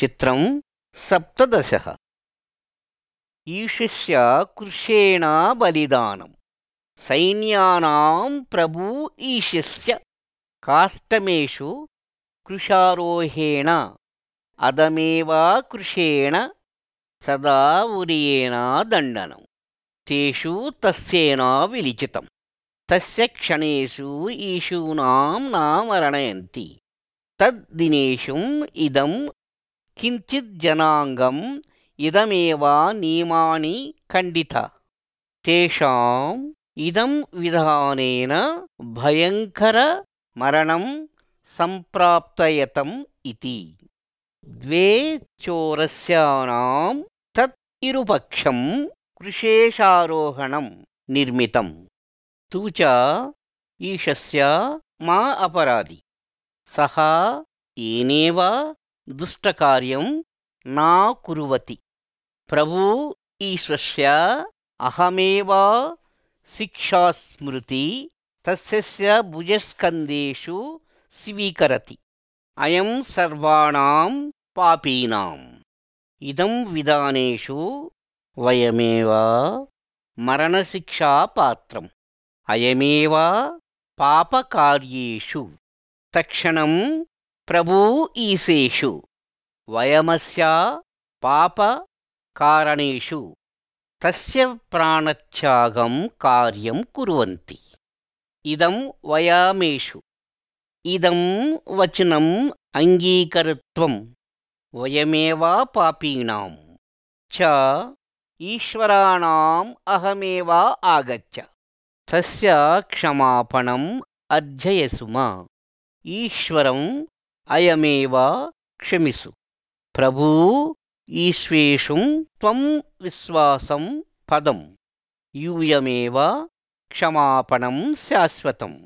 चित्रं 17। ईशिष्य कृशेण बलिदानं सैन्यानां प्रभु ईशिष्य काष्ठमेषु कृशारोहेण अदमेव कृशेण सदा उर्येण दण्डनं तेषु तस्येन विलिखितं तस्य क्षणेषु ईशूनां नामरणयन्ति तद्दिनेषुम् इदं किञ्चिज्जनाङ्गम् इदमेव नियमानि खण्डिता तेषाम् इदं विधानेन भयङ्कर मरणं सम्प्राप्तयतम् इति द्वे चोरस्यानां तत् इरुपक्षं कृशेषारोहणं निर्मितं तु च ईशस्य मा अपराधि सः येनेव दुष्टकार्यं न कुर्वति प्रभु ईश्वस्य अहमेव शिक्षास्मृति तस्य भुजस्कन्धेषु स्वीकरति अयं सर्वाणां पापीनाम् इदं विधानेषु वयमेव मरणशिक्षापात्रम् अयमेव पापकार्येषु तक्षणं प्रभु ईशेषु वयमस्य पापकारणेषु तस्य प्राणत्यागं कार्यं कुर्वन्ति इदं वयमेषु इदं वचनम् अङ्गीकर्तुं वयमेव पापीनां च ईश्वराणाम् अहमेव आगच्छ तस्य क्षमापणम् अर्जयसुम ईश्वरम् अयमेव क्षमिसु प्रभु ईश्वेषुं त्वं विश्वासं पदं यूयमेव क्षमापणं शाश्वतम्